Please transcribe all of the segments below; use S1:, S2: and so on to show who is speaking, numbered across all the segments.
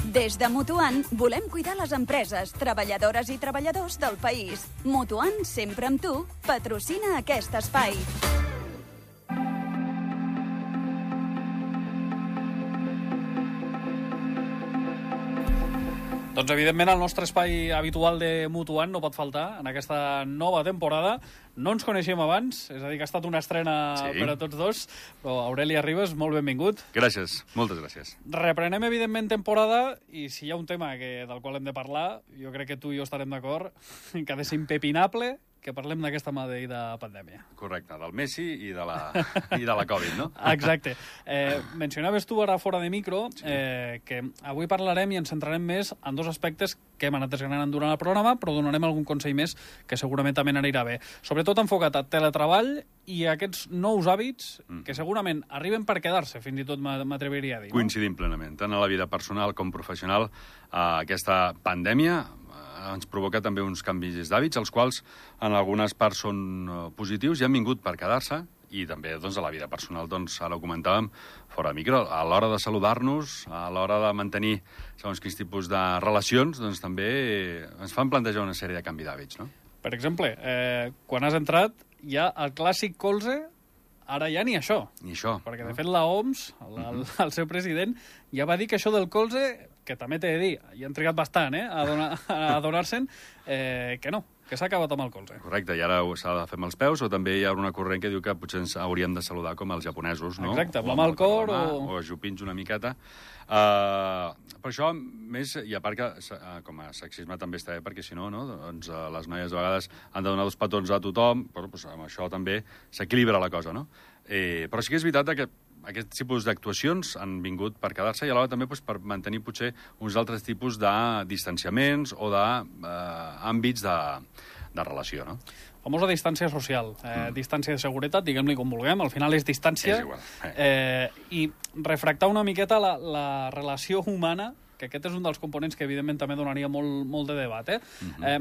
S1: Des de Mutuant volem cuidar les empreses, treballadores i treballadors del país. Mutuant, sempre amb tu, patrocina aquest espai.
S2: Doncs, evidentment, el nostre espai habitual de Mutuant no pot faltar en aquesta nova temporada. No ens coneixíem abans, és a dir, que ha estat una estrena per a tots dos, però Aureli Arribas, molt benvingut.
S3: Gràcies, moltes gràcies.
S2: Reprenem, evidentment, temporada, i si hi ha un tema del qual hem de parlar, jo crec que tu i jo estarem d'acord, que ha de ser impepinable que parlem d'aquesta maleïda pandèmia.
S3: Correcte, del Messi i de la Covid, no?
S2: Exacte. Mencionaves tu ara fora de micro que avui parlarem i ens centrarem més en dos aspectes que hem anat desgranant durant el programa, però donarem algun consell més que segurament també anirà bé. Sobretot enfocat a teletreball i a aquests nous hàbits que segurament arriben per quedar-se, fins i tot m'atreviria a dir.
S3: Coincidim plenament, tant a la vida personal com professional. Aquesta pandèmia ens provoca també uns canvis d'hàbits, els quals en algunes parts són positius i han vingut per quedar-se, i també doncs, a la vida personal, doncs, ara ho comentàvem fora de micro, a l'hora de saludar-nos, a l'hora de mantenir segons quins tipus de relacions, doncs també ens fan plantejar una sèrie de canvis d'hàbits, no?
S2: Per exemple, quan has entrat, hi ha el clàssic colze, ara ja ni això.
S3: Ni això.
S2: Perquè, de fet, la OMS, el seu president, ja va dir que això del colze, que també t'he de dir, hi han trigat bastant a donar-se'n, que no, que s'ha acabat amb el colze.
S3: Correcte, i ara s'ha de fer amb els peus, o també hi ha una corrent que diu que potser ens hauríem de saludar com els japonesos, no?
S2: Exacte, amb el cor
S3: o ajupins una miqueta. Per això, més, i a part que com a sexisme també està bé, perquè si no, doncs, les noies a vegades han de donar 2 petons a tothom, però doncs, amb això també s'equilibra la cosa, no? Però sí que és veritat que aquests tipus d'actuacions han vingut per quedar-se i alhora també doncs, per mantenir potser uns altres tipus de distanciaments o d'àmbits de relació, no?
S2: Famosa distància social, distància de seguretat, diguem-li com vulguem, al final és distància.
S3: És igual.
S2: I refractar una miqueta la relació humana, que aquest és un dels components que evidentment també donaria molt de debat.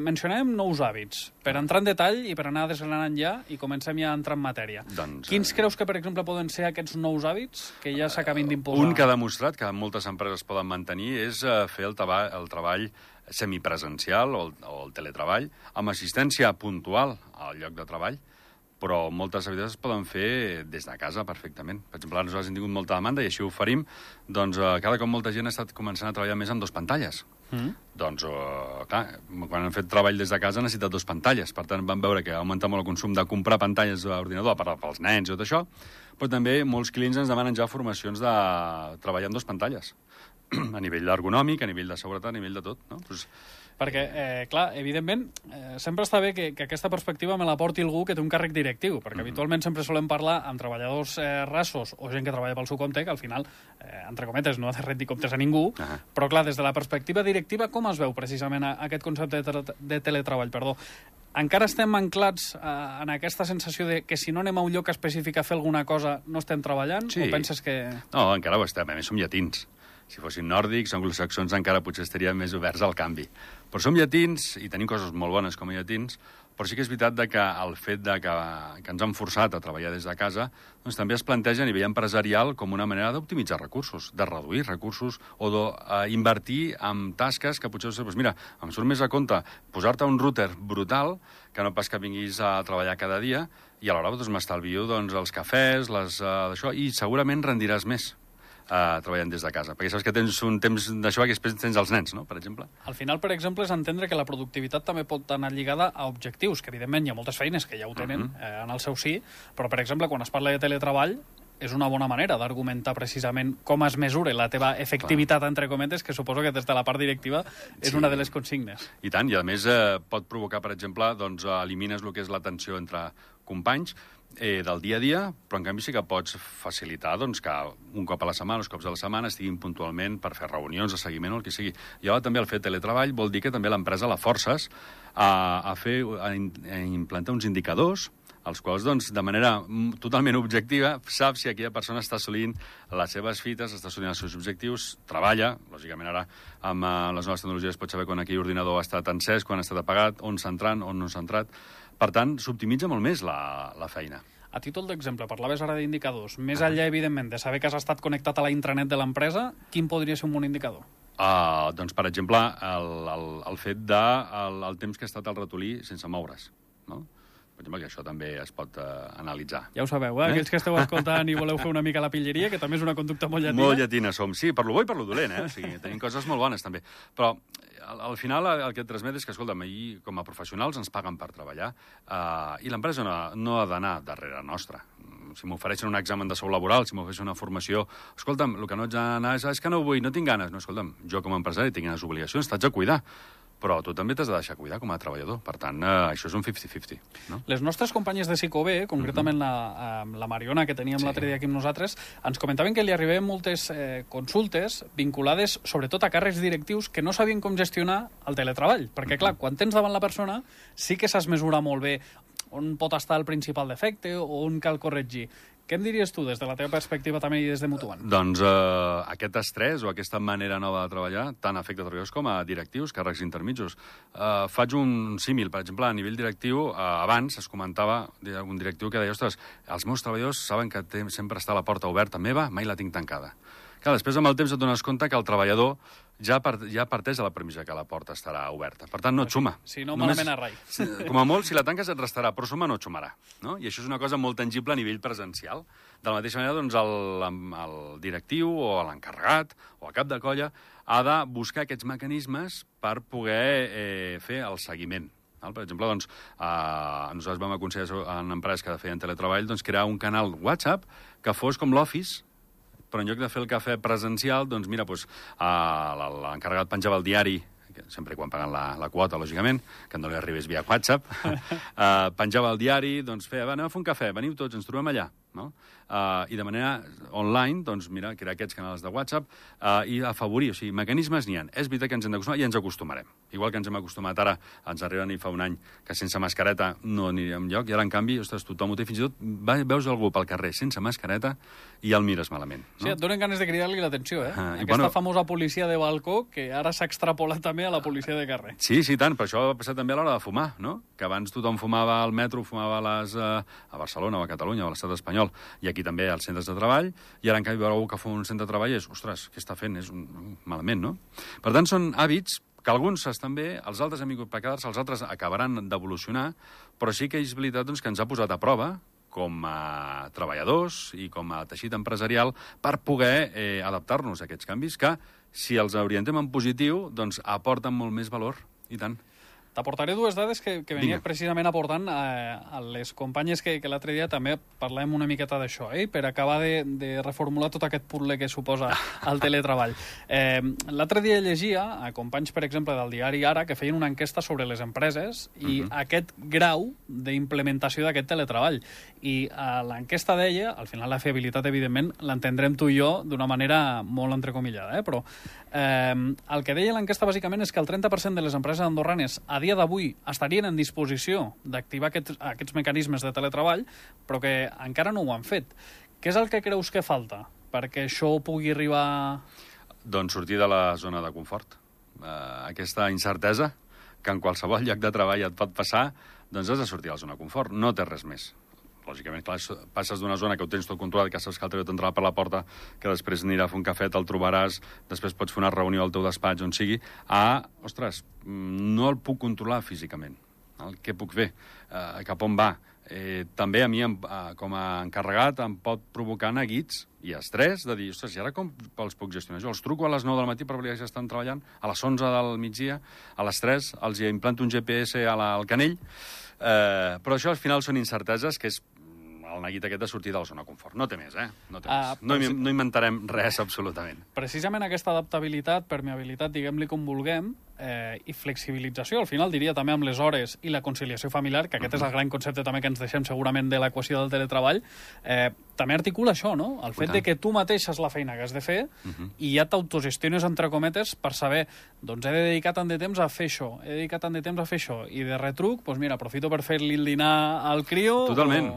S2: Mencionem nous hàbits, per entrar en detall i per anar desgranant ja, i comencem ja a entrar en matèria.
S3: Doncs,
S2: Quins creus que, per exemple, poden ser aquests nous hàbits que ja s'acabin d'imposar?
S3: Un que ha demostrat que moltes empreses poden mantenir és fer el treball semipresencial o el teletreball amb assistència puntual al lloc de treball, però moltes activitats es poden fer des de casa perfectament. Per exemple, nosaltres hem tingut molta demanda i així ho oferim, doncs cada cop molta gent ha estat començant a treballar més amb 2 pantalles. Doncs, clar, quan han fet treball des de casa han necessitat 2 pantalles, per tant van veure que ha augmentat molt el consum de comprar pantalles d'ordinador, a part pels nens i tot això, però també molts clients ens demanen ja formacions de treballar amb 2 pantalles, a nivell ergonòmic, a nivell de seguretat, a nivell de tot, no? Doncs,
S2: perquè, clar, evidentment, sempre està bé que aquesta perspectiva me la porti algú que té un càrrec directiu, perquè habitualment sempre solem parlar amb treballadors rassos o gent que treballa pel seu compte, que al final, entre cometes, no ha de rendir comptes a ningú, però, clar, des de la perspectiva directiva, com es veu precisament aquest concepte de teletreball? Encara estem anclats en aquesta sensació de que si no anem a un lloc específic a fer alguna cosa no estem treballant?
S3: Sí.
S2: O penses que...
S3: No, encara ho estem, a més som llatins. Si fossin nòrdics, anglosaxons, encara potser estarien més oberts al canvi. Però som llatins i tenim coses molt bones com a llatins, però sí que és veritat que el fet que ens han forçat a treballar des de casa doncs també es planteja a nivell empresarial com una manera d'optimitzar recursos, de reduir recursos o d'invertir en tasques que potser, doncs mira, em surt més a compte posar-te un router brutal que no pas que vinguis a treballar cada dia i alhora doncs, m'estalvio els cafès, d'això, i segurament rendiràs més treballant des de casa, perquè saps que tens un temps d'això que després tens els nens, no?, per exemple.
S2: Al final, per exemple, és entendre que la productivitat també pot anar lligada a objectius, que evidentment hi ha moltes feines que ja ho tenen en el seu sí, però, per exemple, quan es parla de teletreball, és una bona manera d'argumentar precisament com es mesura la teva efectivitat, entre cometes, que suposo que des de la part directiva és una de les consignes.
S3: I tant, i a més pot provocar, per exemple, doncs elimines el que és la tensió entre companys, del dia a dia, però en canvi sí que pots facilitar doncs, que un cop a la setmana, 2 cops a la setmana, estiguin puntualment per fer reunions de seguiment o el que sigui. I ara també el fet teletreball vol dir que també l'empresa la forces a implantar uns indicadors els quals, doncs, de manera totalment objectiva, sap si aquella persona està assolint les seves fites, està assolint els seus objectius, treballa, lògicament ara amb les noves tecnologies pots saber quan aquell ordinador ha estat encès, quan ha estat apagat, on s'ha entrat, on no s'ha entrat. Per tant, s'optimitza molt més la feina.
S2: A títol d'exemple, parlaves ara d'indicadors. Més enllà, evidentment, de saber que has estat connectat a la intranet de l'empresa, quin podria ser un bon indicador?
S3: Doncs, per exemple, el fet de el temps que ha estat el ratolí sense moure's, no? Per exemple, que això també es pot analitzar.
S2: Ja ho sabeu, aquells que esteu escoltant i voleu fer una mica la pilleria, que també és una conducta molt llatina.
S3: Molt llatina som, sí, per lo bo i per lo dolent, O sigui, tenim coses molt bones, també. Però, al final, el que et transmet és que, escolta'm, ahir, com a professionals, ens paguen per treballar, i l'empresa no ha d'anar darrere nostra. Si m'ofereixen un examen de sou laboral, si m'ofereixen una formació... Escolta'm, el que no haig d'anar és que no vull, no tinc ganes. No, escolta'm, jo com a empresari tinc unes obligacions, t'haig de cuidar. Però tu també t'has de deixar cuidar com a treballador. Per tant, això és un 50-50. No?
S2: Les nostres companyes de Psicobé, concretament la Mariona, que teníem l'altre dia aquí amb nosaltres, ens comentaven que li arribaven moltes consultes vinculades sobretot a càrrecs directius que no sabien com gestionar el teletreball. Perquè, clar, quan tens davant la persona, sí que saps mesurar molt bé on pot estar el principal defecte o on cal corregir. Què em diries tu, des de la teva perspectiva també i des de Mutuant?
S3: Doncs aquest estrès o aquesta manera nova de treballar tant afecta treballadors com a directius, càrrecs intermitjos. Faig un símil, per exemple, a nivell directiu, abans es comentava un directiu que deia, ostres, els meus treballadors saben que sempre està la porta oberta meva, mai la tinc tancada. Clar, després amb el temps et dones compte que el treballador ja parteix de la premissa que la porta estarà oberta. Per tant, no et suma.
S2: Si no, malament a rai.
S3: Com a molt, si la tanques et restarà, però suma no et sumarà. No? I això és una cosa molt tangible a nivell presencial. De la mateixa manera, doncs, el directiu o l'encarregat o el cap de colla ha de buscar aquests mecanismes per poder fer el seguiment. Per exemple, doncs, nosaltres vam aconseguir en empreses que feien teletreball crear un canal WhatsApp que fos com l'Office, però en lloc de fer el cafè presencial, doncs mira, l'encarregat penjava el diari, sempre quan paguen la quota, lògicament, que no li arribés via WhatsApp, penjava el diari, doncs feia, anem a fer un cafè, veniu tots, ens trobem allà, no? I de manera online, doncs, mira, crear aquests canals de WhatsApp i afavorir, o sigui, mecanismes n'hi ha. És veritat que ens hem d'acostumar i ens acostumarem. Igual que ens hem acostumat ara, ens arriben fa un any que sense mascareta no anirem enlloc, i ara, en canvi, ostres, tothom ho té, fins i tot veus algú pel carrer sense mascareta i el mires malament. No?
S2: Sí, et donen ganes de cridar-li l'atenció, Aquesta famosa policia de balcó que ara s'ha extrapolat també a la policia de carrer.
S3: Sí, tant, però això ha passat també a l'hora de fumar, no? Que abans tothom fumava al metro, fumava a Barcelona o a Catalunya o a l'estat espanyol, i aquí també als centres de treball, i ara, en canvi, veure algú que fa un centre de treball és, ostres, què està fent? És malament, no? Per tant, són hàbits que alguns estan bé, els altres han vingut per quedar-se, els altres acabaran d'evolucionar, però sí que és veritat doncs, que ens ha posat a prova com a treballadors i com a teixit empresarial per poder adaptar-nos a aquests canvis que, si els orientem en positiu, doncs aporten molt més valor, i tant.
S2: T'aportaré dues dades que venia precisament aportant a les companyes que l'altre dia també parlàvem una miqueta d'això, per acabar de reformular tot aquest puzzle que suposa el teletreball. L'altre dia llegia a companys, per exemple, del diari Ara, que feien una enquesta sobre les empreses i aquest grau d'implementació d'aquest teletreball. I l'enquesta deia, al final la fiabilitat, evidentment, l'entendrem tu i jo d'una manera molt entrecomillada, però el que deia l'enquesta bàsicament és que el 30% de les empreses andorranes a dia d'avui estarien en disposició d'activar aquests mecanismes de teletreball, però que encara no ho han fet. Què és el que creus que falta perquè això pugui arribar...
S3: Doncs sortir de la zona de confort. Aquesta incertesa que en qualsevol lloc de treball et pot passar, doncs has de sortir de la zona de confort. No té res més. Lògicament, clar, passes d'una zona que ho tens tot controlat, que saps que el teu t'entrarà per la porta, que després anirà a fer un cafè, te'l trobaràs, després pots fer una reunió al teu despatx, on sigui, ostres, no el puc controlar físicament. Què puc fer? Cap on va? També a mi, com a encarregat, em pot provocar neguits i estrès de dir, ostres, i ara com els puc gestionar? Jo els truco a les 9 del matí per veure si estan treballant, a les 11 del migdia, a les 3 els implanto un GPS al canell, però això al final són incerteses que és el neguit aquest de sortir de la zona de confort. No té més, No té més. No inventarem res, absolutament.
S2: Precisament aquesta adaptabilitat, permeabilitat, diguem-li com vulguem, i flexibilització, al final diria també amb les hores i la conciliació familiar, que aquest és el gran concepte també que ens deixem segurament de l'equació del teletreball, també articula això, no? El fet de que tu mateix és la feina que has de fer i ja t'autogestiones, entre cometes, per saber, doncs he de dedicar tant de temps a fer això, he de dedicar tant de temps a fer això, i de retruc, doncs mira, aprofito per fer-li el dinar al crio...
S3: Totalment.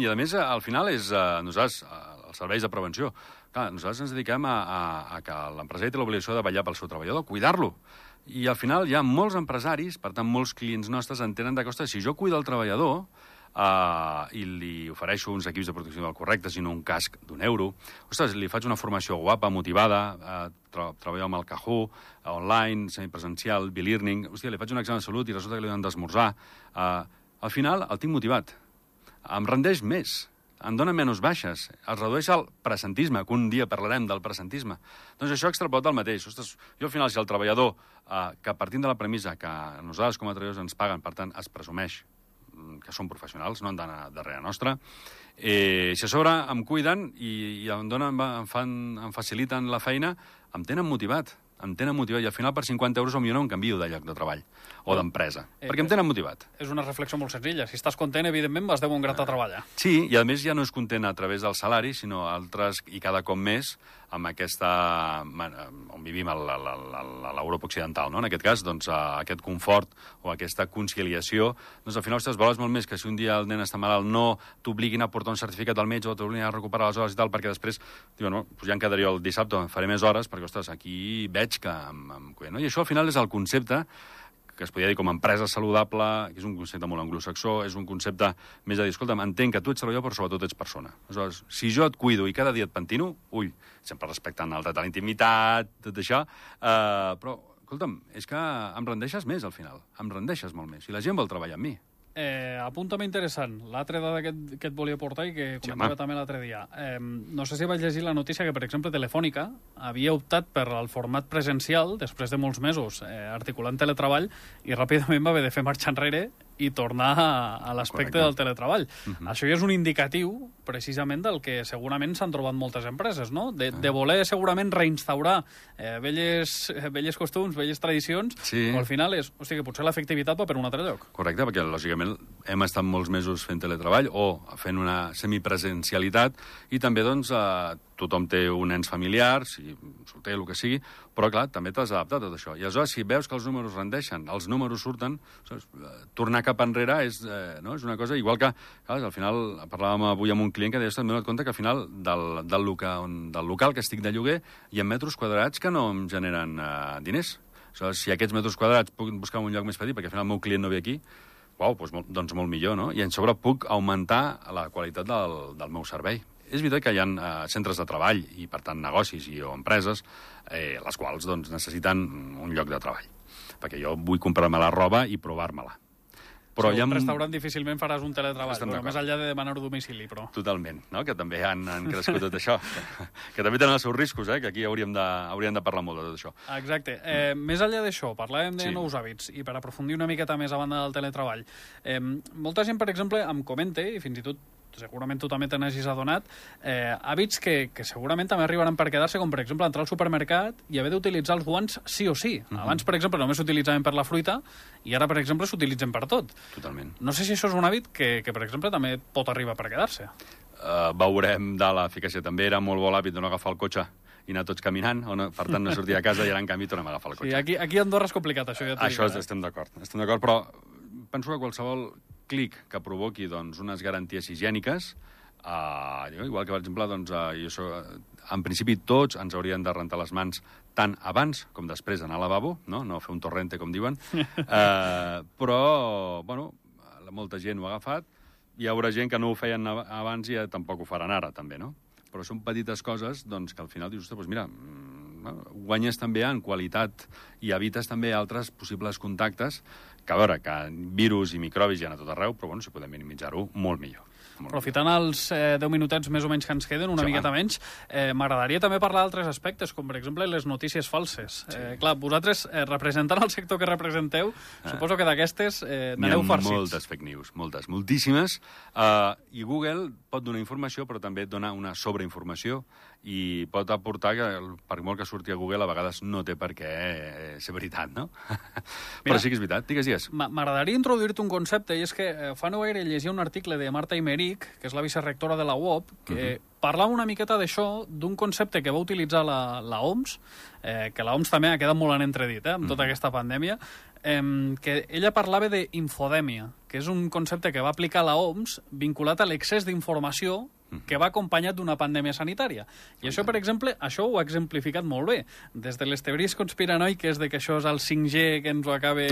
S3: I a més, al final, és nosaltres, els serveis de prevenció, clar, nosaltres ens dediquem a que l'empresari té l'obligació de vetllar pel seu treballador, cuidar-lo. I al final hi ha molts empresaris, per tant molts clients nostres entenen que, ostres, si jo cuido el treballador, i li ofereixo uns equips de protecció del correcte, sinó un casc d'€1. Ostres, li faig una formació guapa, motivada, treballo amb el Kahoot, online, semipresencial, bilearning. Hòstia, li faig un examen de salut i resulta que li han d'esmorzar. Al final el tinc motivat. Em rendeix més. Em dona menys baixes, es redueix el presentisme, que un dia parlarem del presentisme. Doncs això extrapolat el mateix. Ostres, jo al final, si el treballador, que partint de la premissa que nosaltres com a treballadors ens paguen, per tant, es presumeix que són professionals, no han d'anar darrere nostra, si a sobre em cuiden i em faciliten la feina, em tenen motivat. I al final per 50 euros potser no em canvio de lloc de treball o d'empresa, perquè em tenen motivat.
S2: És una reflexió molt senzilla. Si estàs content, evidentment vas de bon grat a treballar.
S3: Sí, i a més ja no és content a través del salari, sinó altres, i cada cop més, amb aquesta... on vivim a l'Europa occidental, no? En aquest cas, doncs, aquest confort o aquesta conciliació, doncs al final, ostres, vales molt més que si un dia el nen està malalt no t'obliguin a portar un certificat al metge o t'obliguin a recuperar les hores i tal, perquè després diuen, no, doncs ja em quedaré el dissabte, faré més hores, perquè, ostres, aquí veig que em cuida, no? I això al final és el concepte que es podria dir com a empresa saludable, que és un concepte molt anglosaxó, és un concepte més de dir, escolta'm, entenc que tu ets treballador, però sobretot ets persona. Aleshores, si jo et cuido i cada dia et pentino, sempre respectant el dret a la intimitat, tot això, però, escolta'm, és que em rendeixes més al final, em rendeixes molt més, i la gent vol treballar amb mi.
S2: Apunt també interessant, l'altra dada que et volia portar i que comentava també l'altre dia. No sé si vaig llegir la notícia que, per exemple, Telefònica havia optat per al format presencial després de molts mesos articulant teletreball i ràpidament va haver de fer marxa enrere i tornar a l'aspecte del teletreball. Això ja és un indicatiu, precisament, del que segurament s'han trobat moltes empreses, no? De voler segurament reinstaurar velles costums, velles tradicions, però al final és, hòstia, que potser l'efectivitat va per un altre lloc.
S3: Correcte, perquè lògicament hem estat molts mesos fent teletreball o fent una semipresencialitat i també, doncs, tothom té un ens familiar, si solter, el que sigui, però, clar, també t'has adaptat a tot això. I aleshores, si veus que els números rendeixen, els números surten, tornar cap enrere és una cosa igual que, clar, al final, parlàvem avui amb un client que deia, m'he donat compte que al final del local que estic de lloguer hi ha metres quadrats que no em generen diners. Aleshores, si aquests metres quadrats puc buscar un lloc més petit, perquè al final el meu client no ve aquí, doncs molt millor, no? I en sobre puc augmentar la qualitat del meu servei. És veritat que hi ha centres de treball i, per tant, negocis o empreses les quals doncs, necessiten un lloc de treball. Perquè jo vull comprar-me la roba i provar-me-la.
S2: Però un restaurant difícilment faràs un teletreball, però més enllà de demanar-ho a domicili, però...
S3: Totalment, no? Que també han crescut tot això. Que també tenen els seus riscos, que aquí hauríem de parlar molt de tot això.
S2: Exacte. Més enllà d'això, parlàvem de nous hàbits, i per aprofundir una miqueta més a banda del teletreball. Molta gent, per exemple, em comenta, i fins i tot segurament tu també te n'hagis adonat, hàbits que segurament també arribaran per quedar-se, com per exemple entrar al supermercat i haver d'utilitzar els guants sí o sí. Abans, per exemple, només s'utilitzaven per la fruita i ara, per exemple, s'utilitzen per tot.
S3: Totalment.
S2: No sé si això és un hàbit que per exemple, també pot arribar per quedar-se.
S3: Veurem de l'eficàcia. També era molt bo l'hàbit de no agafar el cotxe i anar tots caminant, per tant no sortir a casa i ara, en canvi, tornem a agafar el cotxe.
S2: Sí, aquí a Andorra és complicat, això. Ja
S3: això estem d'acord, però penso que qualsevol clic que provoqui doncs, unes garanties higièniques, igual que, per exemple, doncs, en principi tots ens haurien de rentar les mans tant abans com després d'anar al lavabo, no fer un torrente, com diuen, però, bueno, molta gent ho ha agafat, hi haurà gent que no ho feien abans i tampoc ho faran ara, també, no? Però són petites coses doncs, que al final dius, ostres, doncs mira, guanyes també en qualitat i evites també altres possibles contactes que, a veure, que virus i microbis hi ha a tot arreu, però bueno, si podem minimitzar-ho, molt millor.
S2: Aprofitant els 10 minutets més o menys que ens queden, una miqueta menys, m'agradaria també parlar d'altres aspectes, com per exemple les notícies falses. Clar, vosaltres, representant el sector que representeu, suposo que d'aquestes n'aneu farcits.
S3: N'hi ha moltes fake news, moltíssimes, i Google pot donar informació, però també et dona una sobreinformació, i pot aportar que, per molt que surti a Google, a vegades no té per què ser veritat, no? Però sí que és veritat. Digues.
S2: M'agradaria introduir-te un concepte, i és que fa no gaire llegia un article de Marta Imeric, que és la vicerectora de la UOP, que parlava una miqueta d'això, d'un concepte que va utilitzar la OMS, que la OMS també ha quedat molt en entredit, amb tota aquesta pandèmia, que ella parlava d'infodèmia, que és un concepte que va aplicar la OMS vinculat a l'excés d'informació que va acompanyat d'una pandèmia sanitària. I això, per exemple, això ho ha exemplificat molt bé. Des de les teories conspiranoiques de que això és el 5G que ens ho acaba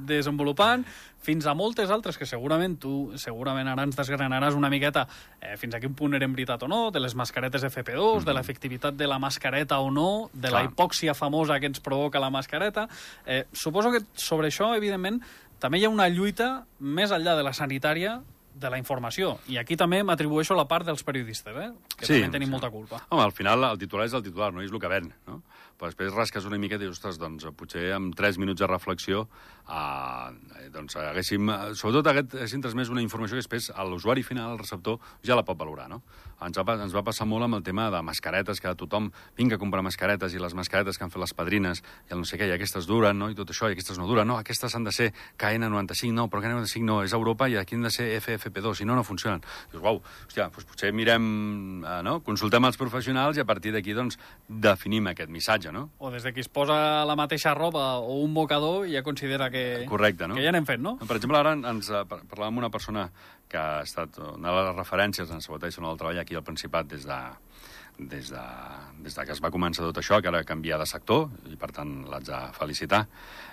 S2: desenvolupant, fins a moltes altres que segurament ara ens desgranaràs una miqueta fins a quin punt eren veritat o no, de les mascaretes FP2, de l'efectivitat de la mascareta o no, de la hipòxia famosa que ens provoca la mascareta. Suposo que sobre això, evidentment, també hi ha una lluita més enllà de la sanitària de la informació. I aquí també m'atribueixo la part dels periodistes, que també tenim molta culpa.
S3: Home, al final el titular és el titular, no és el que ven, no? Però després rasques una mica i dius, ostres, doncs potser amb 3 minuts de reflexió doncs haguéssim, sobretot haguéssim transmès una informació que després l'usuari final, el receptor, ja la pot valorar, no? Ens va passar molt amb el tema de mascaretes, que tothom vinga a comprar mascaretes, i les mascaretes que han fet les padrines, i el no sé què, i aquestes duren, no? I tot això, i aquestes no duren, no, aquestes han de ser KN95, no, però KN95 no, és Europa, i aquí han de ser FFP2, si no, no funcionen. Dius, uau, hòstia, doncs potser mirem, no? Consultem els professionals i a partir d'aquí, doncs, definim aquest missatge, no?
S2: O des de qui es posa la mateixa roba o un mocador ja considera que...
S3: Correcte, no?
S2: Que ja n'hem fet, no?
S3: Per exemple, ara ens parlàvem amb una persona que ha estat una de les referències en seguretat i salut del treball aquí al Principat des de que es va començar tot això, que ara canvia de sector, i per tant l'haig de felicitar,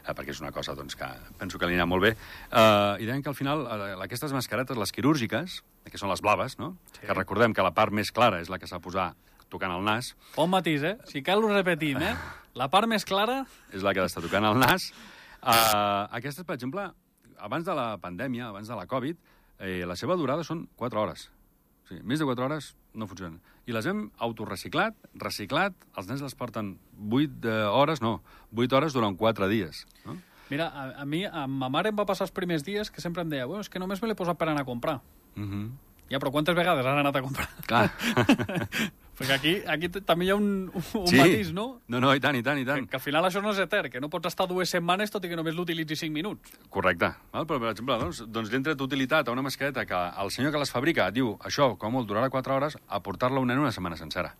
S3: perquè és una cosa doncs, que penso que li anirà molt bé. I deien que al final aquestes mascaretes, les quirúrgiques, que són les blaves, no? Sí. Que recordem que la part més clara és la que s'ha de posar tocant el nas.
S2: Bon matís, Si cal ho repetim, La part més clara...
S3: És la que ha d'estar tocant el nas. Aquestes, per exemple, abans de la pandèmia, abans de la Covid, la seva durada són 4 hores. O sigui, més de 4 hores no funcionen. I les hem autorreciclat, reciclat, els nens les porten 8 hores durant 4 dies. No?
S2: Mira, a mi, a ma mare em va passar els primers dies que sempre em deia, és que només me l'he posat per anar a comprar. Ja, però quantes vegades han anat a comprar?
S3: Clar.
S2: Perquè aquí també hi ha un matís, no?
S3: No, i tant.
S2: Que al final això no és etern, que no pots estar 2 setmanes tot i que només l'utilitzi 5 minuts.
S3: Correcte. Però, per exemple, doncs li han tret utilitat a una mascareta que el senyor que les fabrica diu, això, com molt, durarà 4 hores, a portar-la un nen una setmana sencera.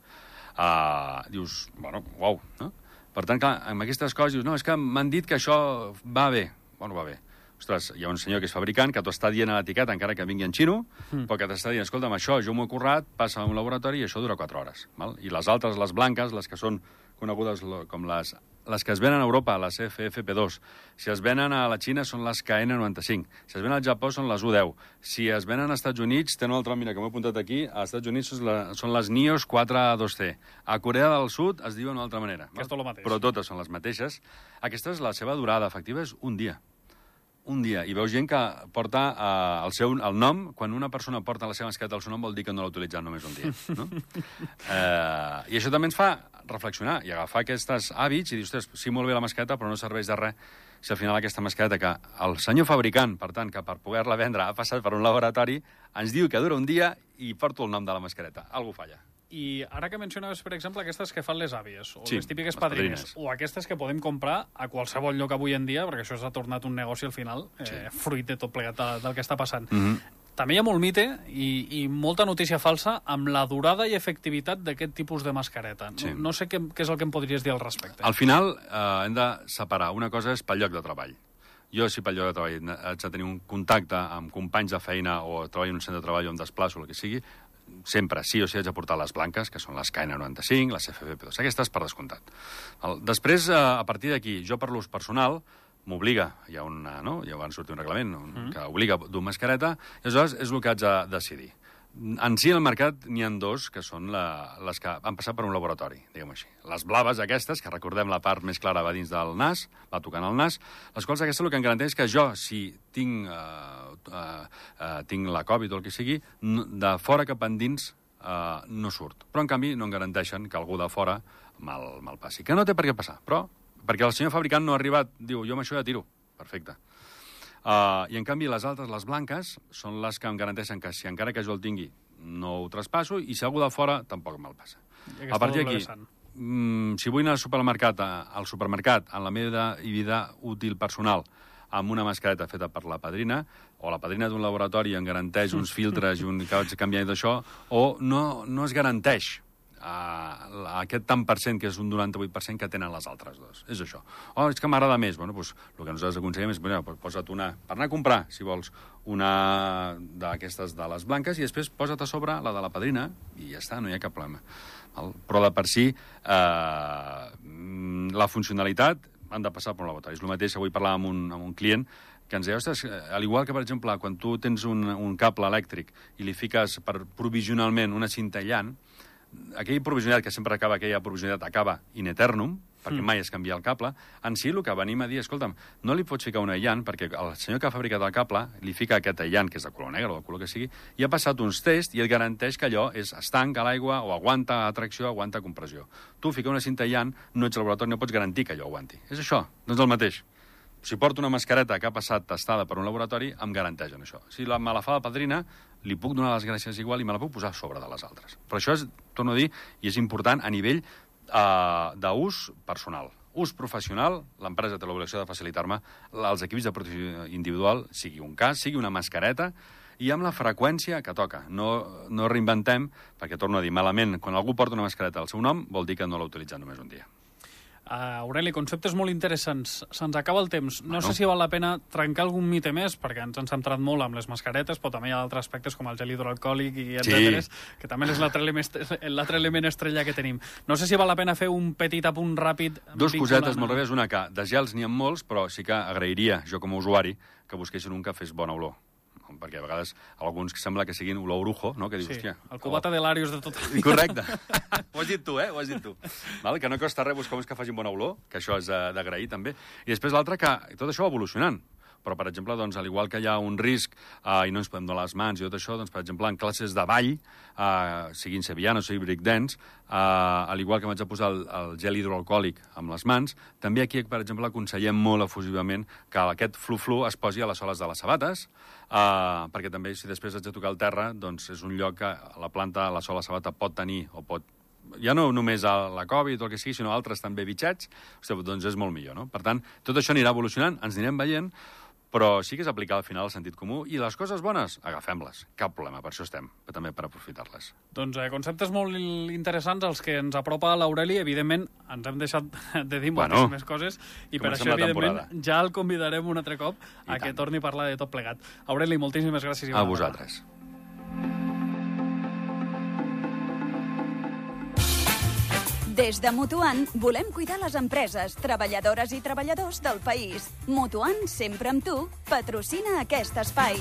S3: Dius, bueno, uau, no? Per tant, clar, amb aquestes coses dius, no, és que m'han dit que això va bé. Bueno, va bé. Ostres, hi ha un senyor que és fabricant, que t'ho està dient a l'etiqueta, encara que vingui en xino, però que t'està dient, escolta'm, això jo m'ho he currat, passa a un laboratori i això dura 4 hores. Val? I les altres, les blanques, les que són conegudes com les que es venen a Europa, les FFP2. Si es venen a la Xina, són les KN95. Si es venen al Japó, són les U10. Si es venen als Estats Units, tenen un altre, mira, que m'ho he apuntat aquí, als Estats Units són les NIOS 4A2C. A Corea del Sud es diuen d'una altra manera.
S2: Que és tot el mateix.
S3: Però totes són les mateixes. Aquesta és la seva durada efectiva, és un dia. Un dia, i veus gent que porta el nom, quan una persona porta la seva mascareta al seu nom vol dir que no l'ha utilitzat només un dia, no? I això també ens fa reflexionar i agafar aquests hàbits i dir, ostres, sí, molt bé la mascareta, però no serveix de res si al final aquesta mascareta que el senyor fabricant, per tant, que per poder-la vendre ha passat per un laboratori, ens diu que dura un dia i porto el nom de la mascareta. Algú falla.
S2: I ara que mencionaves, per exemple, aquestes que fan les àvies, o
S3: sí,
S2: les típiques padrines, o aquestes que podem comprar a qualsevol lloc avui en dia, perquè això s'ha tornat un negoci al final, fruit de tot plegat del que està passant. També hi ha molt mite i molta notícia falsa amb la durada i efectivitat d'aquest tipus de mascareta. No sé què és el que em podries dir al respecte.
S3: Al final hem de separar. Una cosa és pel lloc de treball. Jo, si pel lloc de treball haig de tenir un contacte amb companys de feina o treballo en un centre de treball o em desplaço, el que sigui, sempre sí o sí haig de portar les blanques, que són les KN95, les FFP2, aquestes per descomptat. Després, a partir d'aquí, jo per l'ús personal, m'obliga, hi ha ja van sortir un reglament que obliga dur mascareta, i aleshores és el que haig de decidir. En si, al mercat n'hi ha 2, que són les que han passat per un laboratori, diguem així. Les blaves aquestes, que recordem la part més clara va dins del nas, va tocant el nas, les quals aquestes el que em garanteix que jo, si tinc la Covid o el que sigui, de fora cap endins no surt. Però, en canvi, no em garanteixen que algú de fora me'l passi. Que no té per què passar, però perquè el senyor fabricant no ha arribat, diu, jo amb això ja tiro. Perfecte. I, en canvi, les altres, les blanques, són les que em garanteixen que si encara que jo el tingui no ho traspasso i si algú de fora tampoc me'l passa. A partir d'aquí, si vull anar al supermercat en la meva vida útil personal amb una mascareta feta per la padrina, o la padrina d'un laboratori em garanteix uns filtres i un que vaig canviar d'això, o no es garanteix aquest tant per cent, que és un 98% que tenen les altres dues. És això. Oh, és que m'agrada més. Bueno, doncs, el que nosaltres aconsellem és, posa't una, per anar a comprar, si vols, una d'aquestes de les blanques, i després posa't a sobre la de la padrina, i ja està, no hi ha cap problema. Però de per si, la funcionalitat han de passar per un laboratori. És el mateix, avui parlàvem amb un client que ens deia, ostres, al igual que, per exemple, quan tu tens un cable elèctric i li fiques provisionalment una cinta aïllant, aquell provisionat que sempre acaba, aquella provisionat acaba in eternum, perquè mai es canvia el cable, en si el que venim a dir, escolta'm, no li pots ficar un aïllant, perquè el senyor que ha fabricat el cable li fica aquest aïllant, que és de color negre o de color que sigui, i ha passat uns tests i et garanteix que allò és estanc a l'aigua o aguanta atracció, aguanta compressió. Tu fica una cinta aïllant, no ets al laboratori, no pots garantir que allò aguanti. És això, doncs el mateix. Si porto una mascareta que ha passat testada per un laboratori, em garanteixen això. Si me la fa la padrina, li puc donar les gràcies igual i me la puc posar a sobre de les altres. Però això és, torno a dir, i és important a nivell d'ús personal. Ús professional, l'empresa té l'obligació de facilitar-me els equips de protecció individual, sigui un cas, sigui una mascareta, i amb la freqüència que toca. No reinventem, perquè, torno a dir, malament, quan algú porta una mascareta al seu nom, vol dir que no l'ha utilitzat només un dia.
S2: Aureli, conceptes molt interessants. Se'ns acaba el temps. No sé si val la pena trencar algun mite més, perquè ens hem centrat molt amb les mascaretes, però també hi ha altres aspectes com el gel hidroalcohòlic i etcètera, que també és l'altre element estrella que tenim. No sé si val la pena fer un petit apunt ràpid.
S3: Dos cosetes molt ràpides. Una, que de gels n'hi ha molts, però sí que agrairia, jo com a usuari, que busquessin un que fes bona olor. Perquè a vegades alguns que sembla que siguin olor brujo, no? Que dius,
S2: sí,
S3: hòstia...
S2: el cubata de l'Àrius de tota la vida.
S3: Correcte. Ho has dit tu, Ho has dit tu. Val? Que no costa res buscar uns que facin bona olor, que això és d'agrair, també. I després l'altre, que tot això va evolucionant. Però, per exemple, doncs, al igual que hi ha un risc i no ens podem donar les mans i tot això, doncs, per exemple, en classes de ball, siguin sevillanes o sigui breakdance, al igual que m'haig de posar el gel hidroalcohòlic amb les mans, també aquí, per exemple, aconsellem molt efusivament que aquest flu-flu es posi a les soles de les sabates, perquè també, si després haig de tocar el terra, doncs és un lloc que la planta, la sola sabata pot tenir o pot ja no només a la Covid o el que sigui, sinó altres també bitxets, doncs és molt millor, no? Per tant, tot això anirà evolucionant, ens anirem veient, però sí que és aplicar al final el sentit comú, i les coses bones, agafem-les. Cap problema, per això estem, però també per aprofitar-les.
S2: Doncs conceptes molt interessants, els que ens apropa l'Aureli. Evidentment, ens hem deixat de dir moltes més coses, i per això, evidentment, ja el convidarem un altre cop a que torni a parlar de tot plegat. Aureli, moltíssimes gràcies.
S3: A vosaltres.
S1: Des de Mutuant volem cuidar les empreses, treballadores i treballadors del país. Mutuant, sempre amb tu, patrocina aquest espai.